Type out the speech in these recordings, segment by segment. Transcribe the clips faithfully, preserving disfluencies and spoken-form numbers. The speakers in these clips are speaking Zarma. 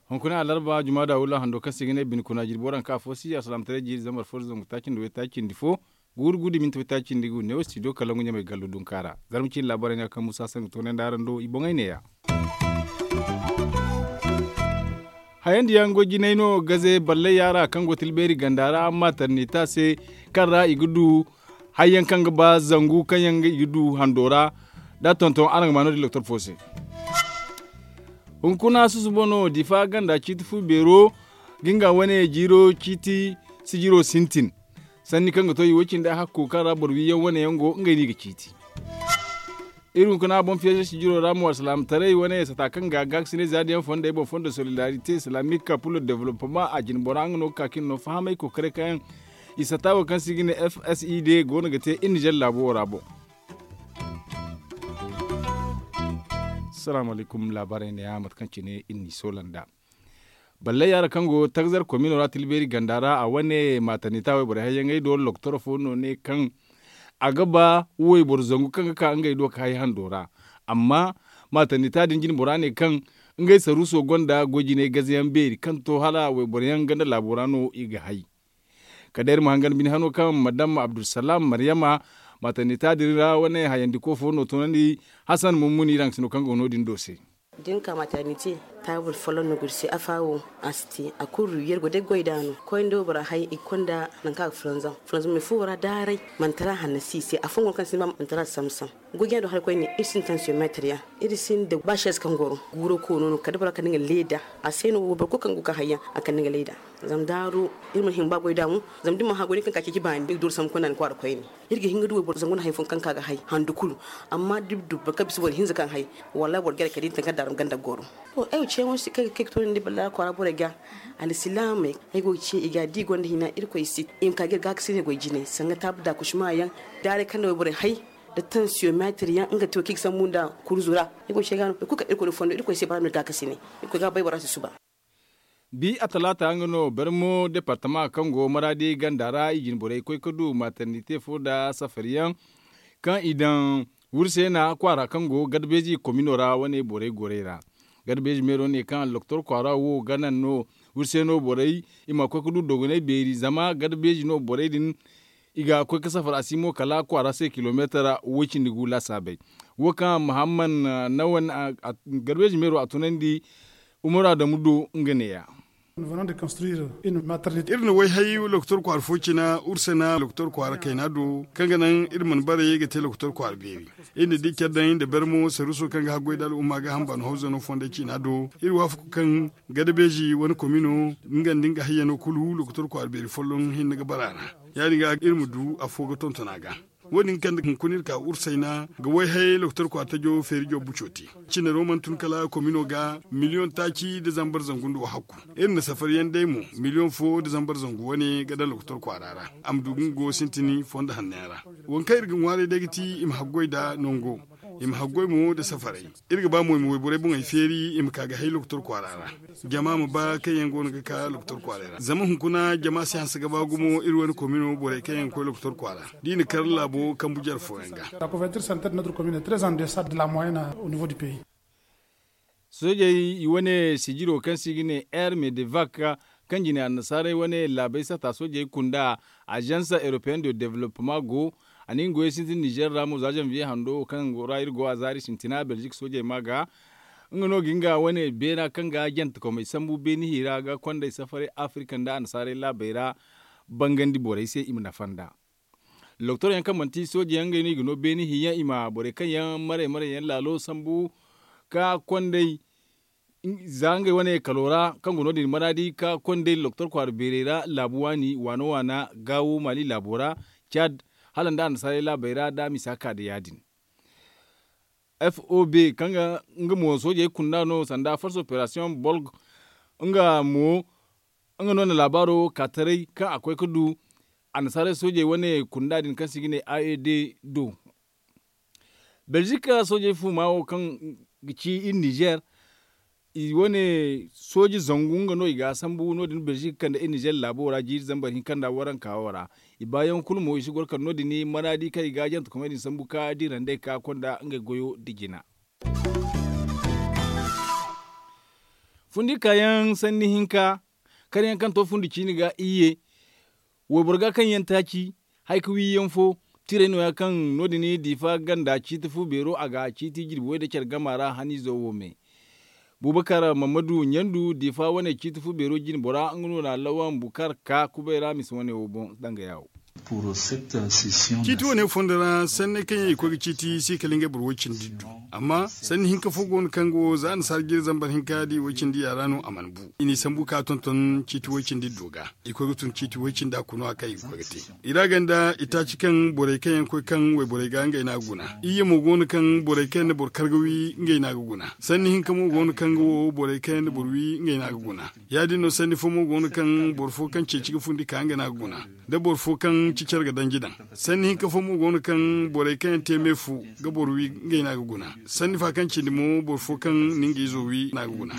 Hunkuna alarba juma da wula hando kaŋ se ga ne bine kuna jirbi waranka afo si alsalaamataray jiiri zambar fo da zangu taaci nda waytaaci nda fo, guuru guuru da minti waytaaci nda gu neewo studio kalangu ɲamay gallo dunka ra. Zarma ciine laabaarey no ya kaŋ muusa sangu toonandi araŋ do i boŋey neeya. Hayandi yaŋ goy jinay no gaze ballay yaara kaŋ go tilbeeri ganda ra amma tarnita se, kaŋ ra i ga du hayyaŋ kaŋ ga ba zangu kaŋ yaŋ i ga du hando ra. Da a tonton araŋ ga ma no- din doktor fo se. Hunkuna susubo no difa ganda ciiti fu beero ga nga wane jiiro ciiti sijiro sintin, sanni kaŋ ga to i wo cindi a hakko kaŋ ra boro wiyaŋ wane yaŋ go ngey no i ga ciiti. Iri hunkuna boŋ fiyeezo sijiro ra mo alsalaamataray wane sata kaŋ ga gaakasinay za da yaŋ fondey boŋ fondo solidarite islamique pour le développement a jine bora nga no ga ka kaŋ no fahamay kokoray kaŋ yaŋ i sata wo kaŋ se i ga ne f s i d go no ga te iri nizer laabo wo ra boŋ. Salaamu alaykum laabaarey neeya mate kaŋ cine iri n'i soola nd'a. Ballay yaara kaŋ go tagzar komino ra tilbeeri ganda ra a wane maatannita wayborey hayyaŋey do loktor fo no ne kaŋ a ga ba wayboro zangu kaŋ ga ka ngey do ga hay hando ra. Amma maatannita din jine bora ne kaŋ ngey saruuso gonda goy jinay gazayaŋ beeri kaŋ to hala wayboro yaŋ ganda laabo ra no i ga hay. Kala day iri ma hangan bine hano kaŋ madam abdulsalam maryama maatannita din ra wane hayandiko fo no toonandi. Hasan mummuni iri hangasino kaŋ go no- din do se. Da ni ka maaternite taabul folloŋ no ga iri se afa wo a si te a kulu yer go day goy da no koy nda waybora hay i ga konda nangu kaŋ a ga fulanzam fulanzam me fo ra daaray. Manti ra hanno si i se afooyaŋ go no kaŋ sinda ba manti ra samsam. Goy jina do hari koyne iri sinda tansiyoŋ meetir yaŋ, iri sinda ba seez kaŋ goro guuro koono no kala da bora kande nga leeda. A se no wayboro kulu kaŋ go ga ka hayyaŋ a kande nga leeda. Zama daaru iri mana hin ga ba goy da mo. Zama da ni mana hã goy no kaŋ ka ceeci baani ni ga dooru sambu konda ni kwaara koyne. Iri ga hin ga du wayboro zangu nda hari fooyaŋ kaŋ ka ga hay handu kulu. Amma da iri du boro kaŋ bisa boro hinza kaŋ hay, wallaahi boro ga gare kala da iri na taŋ kaŋ daaru ganda goro. To ay wo ceeyaŋo se kaŋ ay ga kay ga toonandi ballaahi kwaara borey ga. Alsilaamey ay go ga ce i ga da i gonda hina irkoy se i ma ka ga iri gaakasinay goy jinay sanga taabu da kushma yaŋ. Daaray kaŋ na wayborey hay da tansiyoŋ meetir yaŋ nga te wo kaŋ i ga sambu nda kurzu ra. Ay go ga ce ga no boro kulu kaŋ irkoy na fondo irkoy se bara no iri gaakasinay. Irkoy ga bay bora se suba. Bi a talaata nga no barmo departama kaŋ go maraadi ganda ra i jine borey koy ga du maaternite fo nda safari yaŋ kaŋ i daŋ wurseena kwaara kaŋ go garbeeji komino ra wane borey gorey ra. Garbeeji meero ne kaŋ loktor kwaara wo ga naŋ no wurseeno borey i ma koy ga du dogonay beeri zama garbeeji no borey din i ga koy ga safar a si mo kala kwaara se kilomeetar woy cindi gu laasaabey. Wo kaŋ muhammad nawan garbeeji meero a tunandi umaru adamu do nga neeya. Iri na wayhay lokotor kwaara fo cina ursena lokotor kwaara kayna do kaŋ ga naŋ iri mana bare ga te lokotor kwaara beeri. Iri na di care daŋ nda barmo saruuso kaŋ ga haggoy nda al'umma ga hamba no hawzano fondey ciina do iri waafaku kaŋ gadabeezi wane komino nga nda nga hayyano kulu lokotor kwaara beeri folloŋ hinne ga bara a ra. Ya- din ga iri ma du afo ga tonton a ga. Wo- din kaŋ nda hunkuna iri ka ursayna ga wayhay lokotor kwaara tajo feerijo buco te. Cinaro mana tun kala komino ga miliyoŋ taaci nda zambar zangu nda wahakku. Iri na safariyaŋ day mo miliyoŋ fo nda zambar zangu wane ga daŋ lokotor kwaara ra. A ma du ga nga go sintin fondo hanno yaŋ ra. Waŋ kaŋ iri ga ŋwaaray day ga ti i ma haggoy nda nango. I ma haggoy mo nda safaray. Iri ga ba mo i ma wayborey boŋey feeri i ma ka ga hay lokotor kwaara ra. Jama ma ba kaŋ yaŋ go no ga ka lokotor kwaaray ra zama hunkuna jama si hanse ga ba gumo iri wane komino borey kaŋ yaŋ ga koy lokotor kwaara da i na kar laabo kambu jare fooyaŋ ga. Soojey i wane sijiro kaŋ se i ga ne air medevac kaŋ jine annasaarey wane laabey sata soojey kunda. Agence européenne de développement go a na nga goyey sintin nizer ra mo za janvier hando wo kaŋ ra iri go a zaari sintina belgique soojey ma ga. Nga no ga nga wane beena kaŋ ga jantekomey sambu beeni hiira ga kondey safaray afrika nda annasaarey laabey ra bangandi borey se i ma nafa nd'a. Loktor yaŋ kaŋ manti sooje yaŋ ngey no i ga no beeni hiyaŋ i ma borey kaŋ yaŋ maray maray yaŋ laalo sambu ka kondey za ngey wane kalo ra kaŋ go no- din maraadi ka kondey loktor kwaara beerey ra laabu waani waana waana gaawo maali laabo ra caad hala nda annasaarey laabey ra da a misa ka da ya- din. Fob kaŋ ga nga mo soojey kunda no sanda force operation bolg nga mo nga no na laabaaro ka taray kaŋ a koy ga du annasaarey soojey wane kunda din kaŋ se i ga ne aed do. Belgique soojey fuuma wo kaŋ ga ci iri nizer i wane sooji zangu nga no i ga a sambu no- din belzik kande i nizer laabo ra jiiri zambar hinka nda waranka wo ra. I baayaŋ kulu mo i si goro kala no- din manaadi kaŋ i ga a jante komey din sambu ka diira nd'ey ka konda ngey goyo nda jina. Fundi kaayaŋ sanni hinka, kar yaŋ kaŋ to fundi ciini ga iyye. Wayboro ga kaŋ yaŋ taaci, hari ka wi yaŋ fo, tiray no- ya kaŋ no- din diifa ganda ciiti fu beero a ga ciiti jirbi way nda care gama ra haniizo wo me. Bubakar mammadu ɲandu diifa wane ciiti fu beero jine bora nga no na lawan bukar ka kubay ra misa wane wo boŋ danga yaawo. Ciiti wane fondo ra sanney kaŋ yaŋ i koy ga ciiti si kala ngey boro way cindi iddu. Amma sanni hinka fo go no kaŋ ga wo za annasaara jire zambar hinka da i way cindi yaŋ ra no a mana bu. I n'i sambu ka tonton ciiti way cindi iddo ga. I koy ga tun ciiti way cindi a kuna kaŋ i ga koy ga te. I ra ganda i taaci kaŋ borey kaŋ yaŋ koy kaŋ wayborey ga ngey no a ga guna. Iyye mo go no kaŋ borey kaŋ yaŋ na boro kar ga wi ngey no a ga guna. Sanni hinka mo go no kaŋ ga wo borey kaŋ yaŋ na boro wi ngey no a ga guna. Ya- din no sanni fo mo go no kaŋ boro fo kaŋ ceeci ga fundi ka nga no a ga guna. Da boro fo kaŋ ci care ga danji daŋ. Sanni hinka fo mo go no kaŋ borey kaŋ yaŋ te me fu ga boro wi ngey no a ga guna. Sanni fa kaŋ cindi mo boro fo kaŋ na nga izo wi no a ga guna.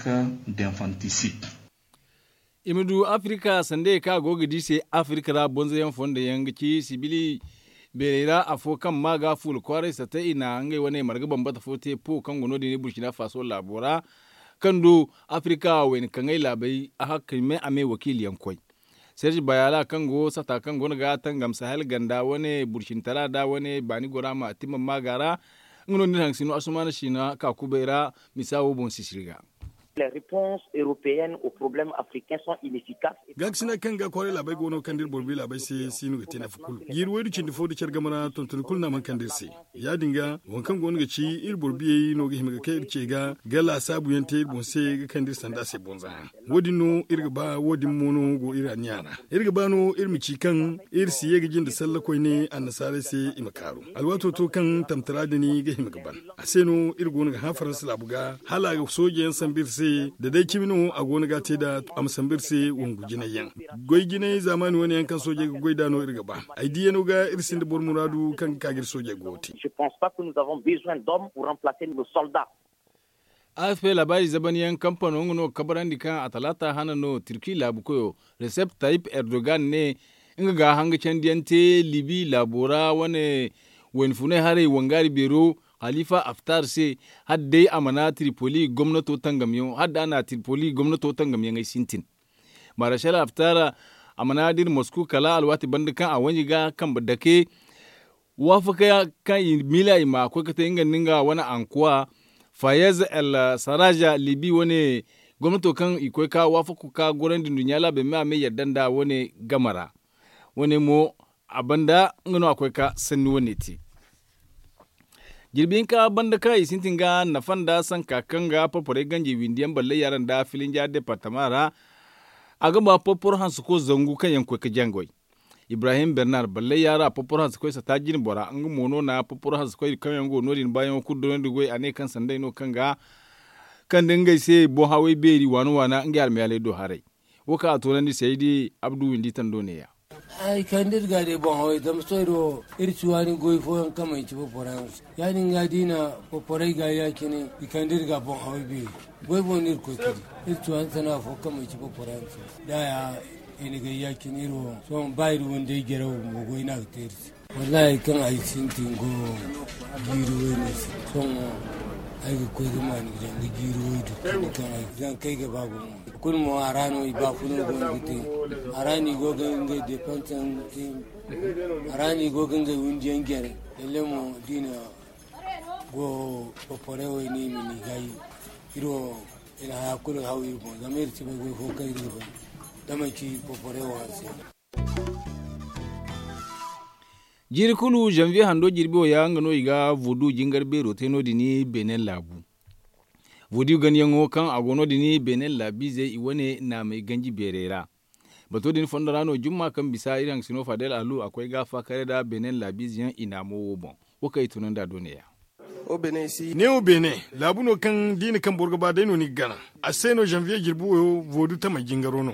I ma du afirika sandey kaŋ a go ga di se afirika ra bonzoyaŋ fondo yaŋ ga ci sibili beerey ra afo kaŋ ma ga fuula kwaaray satta i na ngey wane marga bambata fo te po kaŋ go no- din burkina faso laabo ra. Kaŋ du afirika wayna kaŋay laabey a hakkay me a me wakiili yaŋ koy. Serge bayala kaŋ go sata kaŋ go no ga tangam sahel ganda wane burkina tara da wane baani gora ma a timma maaga ra. Nga no ni na haŋ sino asumaana siina ka kubay ra misa wo boŋ sisiri ga. Gaakasina kaŋ ga kwaray laabey go no ga kande iri boro biya laabey se si no ga te nafa kulu jiiri waydu cindi fo da care game ra tontoni kulu no a mana kande iri se. Ya- din ga waŋ kaŋ go no ga ci iri boro biyey no ga hima ga kay iri ce ga ga laasaabu yaŋ te iri boŋ se ga kande iri sanda se bonza yaŋ. Wo- din no iri ga ba wo- din mo no go iri anniya ra. Iri ga ba no iri ma ci kaŋ iri si ye ga jinde salla koyne annasaarey se i ma kaaru. Alwaato to kaŋ tamtara din ga hima ga ban. A se no iri go no ga hã faransa laabu ga hala a ga sooje yaŋ sambu iri se da day cimi no a go no ga a te nd'a a ma sambu iri se wangu jinay yaŋ. Goy jinay zaamaani wane yaŋ kaŋ soojey ga goy nd'a no iri ga ba. Ay diyano ga iri sinda boro muraadu kaŋ ga ka ga iri soojey go ga te. Afp laabaari zabanyaŋ kampano nga no ga kabarandi kaŋ a talaata hana no turki laabu koyo, resep tayip erdogan ne nga ga hanga candiyaŋ te libi laabo ra wane wayna funay haray wangaari beero halifa aftar se, hala day a mana tripoli gomnato tangamyaŋo hala day a na tripoli gomnato tangamyaŋey sintin. Marashal aftar a mana dira mosku kala alwaati banda kaŋ a wanji ga kambe dake. Waafaka kaŋ i miila i ma koy ga te nga nda nga wane ankuwa fayez el saraja libi wane gomnato kaŋ i koy ka waafako ka gorandi nduɲɲa laabey me a me yadda nda wane game ra. Wane mo a banda nga no a koy ka sanni wane te. Jirbi hinka banda kaŋ i sintin ga nafa nda sanka kaŋ ga porporey ganjey windi yaŋ ballay yaŋ ra nda filinja departama ra. A ga ba porporo hanse ko zangu kaŋ yaŋ koy ga jangoy. Ibrahim bernar ballay yaŋ ra porporo hanse koy sata jine bora nga mo no na porporo hanse koy kaŋ yaŋ go no- din baayaŋo kulu donandi goy a ne kaŋ sanday no kaŋ ga kande ngey se boŋ haway beeri waana waana ngey almayaaley do haray. Wo kaŋ a toonandi saydi abdu windi tando neeya. Ay kande iri ga day boŋ haway zama sohõ iri wo iri si waani goy fooyaŋ kaŋ manci porporo hanse. Ya- din ga da i na porporey ga ya- cine i kande iri ga boŋ haway beeri. Goy boŋ no iri koy ga di. Iri si waani sana'a fo kaŋ manci porporo hanse. Da ya i na gay ya- cine iri wo sohõ ba iri windey jaraw bumbo goy no a ga te iri se. Wallaahi kaŋ ay sintin go jiiri wayne se sohõ ay ga koy ga maani ga danga jiiri waydu kaŋ ay ga danga kay ga ba gumo. Kulu mo a ra no i baafuno go no ga te. A ra no i go ga ngey depanse te. A ra no i go ga ngey windiyaŋ jare. Lalle mo da i na go porporey wayne i ma ni gaayi. Iri wo i na haya kulu haw iri boŋ zama iri si bay goy fo kaŋ iri ga bay da manci porporey wo hanse. Jiiri kulu zanviye hando jirbi wo ya nga no i ga vodu jingar beero te no- din benin laabu. Vodu ganyaŋo kaŋ a go no- din benin laabiizey i wane naamey ganji beerey ra. Bato din fondo ra no jumma kaŋ bisa iri haŋ sino fadel alu a koy ga faakare nda benin laabiize yaŋ i naamo wo boŋ. Wo kaŋ i tunandi a do neeya. Ne wo beene laabu no kaŋ da i na kaŋ boro ga ba day no ni ga gana. A se no zanviye jirbi wo voodu tamey jingaro no.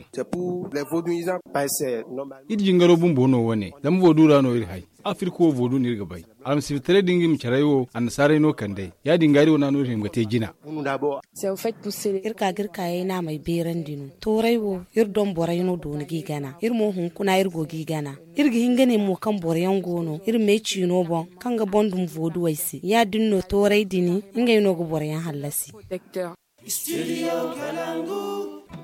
Iri jingaro bumbo no wo- ne zama voodu ra no iri hay. Afirka wo voodu no iri ga bay. Almasiibitaray da nga i ma caray wo annasaarey no kand'ey. Ya- din ga iri wane no iri hima ga te jina. Iri ka ga iri kaayey naamey beerandi no. Tooray wo iri doŋ borey no dooni g'i gana. Iri mo hunkuna iri go g'i gana. Iri ga hin ga ne mo kaŋ boro yaŋ go no iri me ciino boŋ, kaŋ ga boŋ dum vooduwey se. Ya- din no tooray dini ngey no ga boro yaŋ hallasi.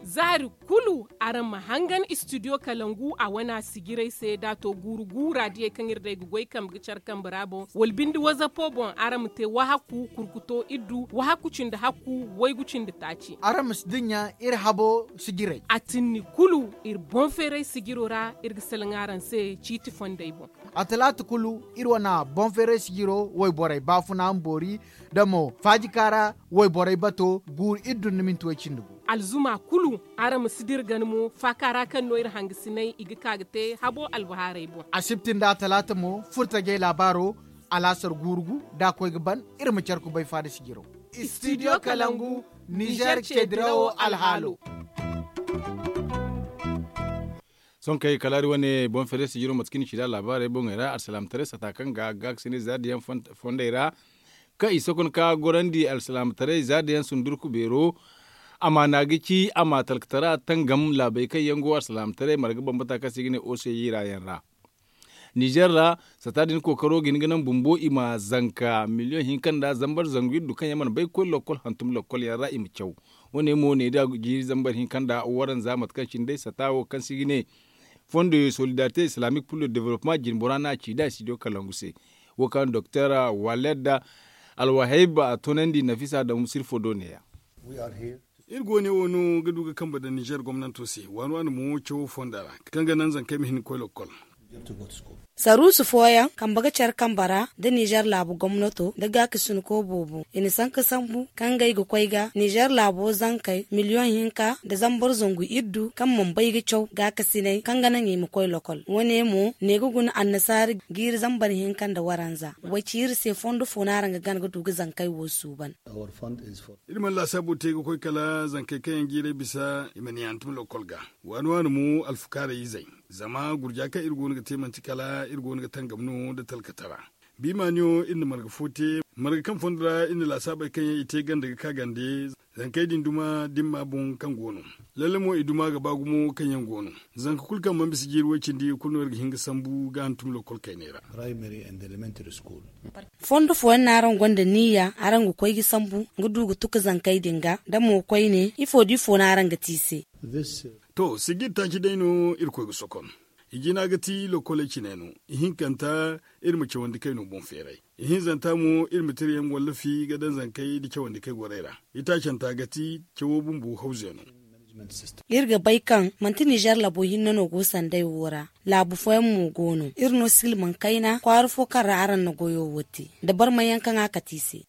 Zaari kulu araŋ ma hangan istidiyo kalangu a wana sijirey se da a to guuru guura diyey kaŋ iri day ga goy kambe ga care kambe ra boŋ, wala binde wazapo boŋ araŋ ma te wahakku kurkuto iddu wahakku cindi hakku waygu cindi taaci. Araŋ ma si dinya iri habo sijirey. A tinni kulu iri boŋ feeray sijiro ra iri ga salaŋ araŋ se ciiti fondey boŋ. A talaata kulu iri wana boŋ feeray sijiro wayborey baafuna ma boori, da mo faajika ra wayborey bato guuru iri dunna minti way cindi gu. Alzuma kulu araŋ ma si dira gana mo faaka ra kaŋ no iri hangasiney i ga ka ga te habo albahaarey boŋ. Asibti nda a talaata mo furtajey laabaaro alaasar guuru gu da a koy ga ban. Iri ma care kubay faada sijiro. Istidiyo kalangu nizer ceedirawo alhaalo. Sonkey kala hari wane boŋ feeray sijiro mate kaŋ i na ci nd'a laabaarey boŋey ra alsilaamataray sata kaŋ ga gaakasinay zaadiyaŋ fondey ra, kaŋ i sokonka gorandi alsilaamataray zaadiyaŋ sundurku beero. Amaana ga ci a ma talkatara tangam laabey kaŋ yaŋ go alsilaamataray marga bambata kaŋ se i ga ne oseyi ra yaŋ ra. Nizer ra sata din kookaro ga hin ga naŋ bumbo i ma zanka miliyoŋ hinka nda zambar zangu iddu kaŋ yaŋ mana bay ga koy lokkol hantum lokkol yaŋ ra i ma caw. Wo- ne mo ne da jiiri zambar hinka nda waranza mate kaŋ cine day sata wo kaŋ se i ga ne fondo solidarite islamique pour le developpement jinbora no a ci da studio kalangu se. Wo kaŋ doktor waled alwahayb a toonandi nafisa adamu sirfo do ne- ya. Iri go ne wo no ga du ga kambe daŋ nizer gomnanto se waani waani mo cawo fonda ra, kaŋ ga naŋ zankey ma hin ga koy lokkol. Saruusu fooyaŋ kambe ga care kambe ra nda nizer laabu gomnato nda gaakasinko boobo i na sanka sambu kaŋ ngey ga koy ga nizer laabo zankey miliyoŋ hinka nda zambar zangu iddu kaŋ mana bay ga caw gaakasinay kaŋ ga naŋ i ma koy lokol. Wo- ne mo ne ga guna annasaari jiiri zambar hinka nda waranza. Way ci iri se fondo fo no araŋ ga gana ga du ga zankey wo suuban. Iri mana laasaabu te ga koy kala zankey kaŋ yaŋ jiirey bisa i ma ne hantum lokkol ga. Waani waani mo alfukaarey izey, zama gurja kaŋ iri go no ga te manti kala iri go no ga tangam no nda talkatara. Biimaaniyo iri na marga fo te, marga kaŋ fondo ra iri na laasaabey kaŋ yaŋ i te ganda ga ka gande. Zankey din duma dimma boŋ kaŋ go no, lalle mo i duma ga ba gumo kaŋ yaŋ go no. Zanka kulu kaŋ mana bisa jiiri way cindi kulu no iri ga hin ga sambu ga hantum lokkol kayney ra. Fondo fooyaŋ no araŋ gonda niyya araŋ ga koy ga sambu ga du ga tuka zankey din ga da mo koyne ifo da ifo no araŋ ga te i se? To sijir taaci day no iri koy ga sokon. I jina ga ti lokoley cine no. Ihinkanta iri ma cawandi kayno boŋ feeray. Ihinzanta mo iri ma tira yaŋ wallafi ga daŋ zankey nda cawandi kay gorey ra. Itaacanta ga ti cawo bumbo hawze no. Iri ga bay kaŋ manti nizer labo hinne no go sanday wo ra. Laabu fooyaŋ mo go no iri no silmaŋ kayna kwaara fo kaŋ ra araŋ na goyo wo te da barmay yaŋ kaŋ a kate i se.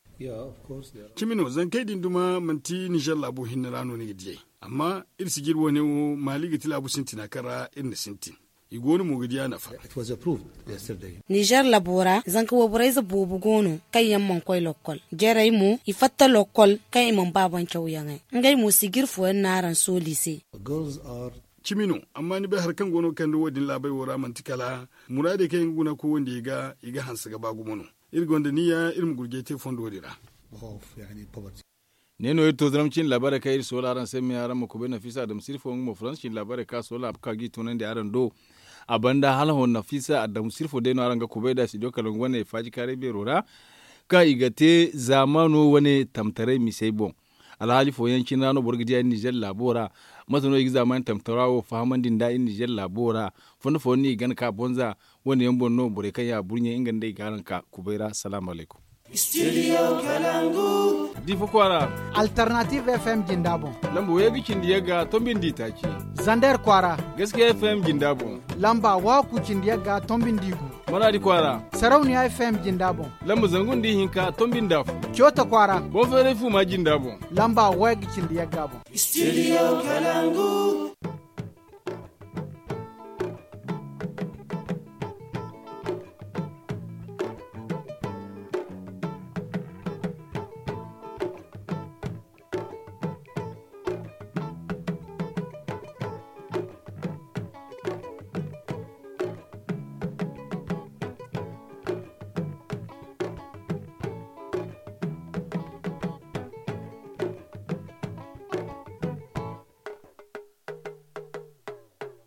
Cimi no zankey din duma manti nizer laabo hinne ra no ni ga diyey. Amma iri sijir wo- ne wo maali ga ti laabu sintina kaŋ ra iri na sintin. I go no mo ga di a nafa. Nizer labo ra zanka wayborey ze boobo go no kaŋ yaŋ mana koy lokkol. Jarey mo i fatta lokkol kaŋ i mana ba boŋ cawyaŋey. Ngey mo sijir fooyaŋ no araŋ sooli i se. Cimi no. Amma ni bay hari kaŋ go no ga kande wo- din laabey wo ra manti kala muraadey kaŋ yaŋ ga guna koy wandiyey ga i ga hanse ga ba gumo no. Iri gonda niyya iri ma gurjay te fondo din ra. Ne no iri to zaram cine laabaarey kaŋ iri soola araŋ se me araŋ ma kubay nafisa adamu sirfo nga mo faransa cine laabaarey kaŋ a soola a ga ka ga i toonandi araŋ do. A banda hala hõ nafisa adamu sirfo day no araŋ ga kubay nd'a studio kalangu wane faajikaaray beero ra, kaŋ i ga te zaamaano wane tamtaray misey boŋ. Alhaali fooyaŋ cine ra no boro ga di a iri nizer laabo ra. Mate no i ga zaamaani tamtara wo fahamandi nd'a iri nizer laabo ra? Fondo fooyaŋ no i ga gana ka bonza. Wane yaŋ boŋ no borey kaŋ ya burɲey nga nda i ga araŋ ka kubay ra salaamu alaykum. Difa kwaara. Alternative fm jinda boŋ. Lamba waygu cindi yagga tombi nda itaaci. Zander kwaara. Gaskiya fm jinda boŋ. Lamba waku cindi yagga tombi nda igu. Maradi kwaara. Sarauniya fm jinda boŋ. Lamba zangu nda ihinka tombi nda afo. Cota kwaara. Bonferey fuma jinda boŋ. Lamba waygu cindi yagga boŋ. Studio kalangu.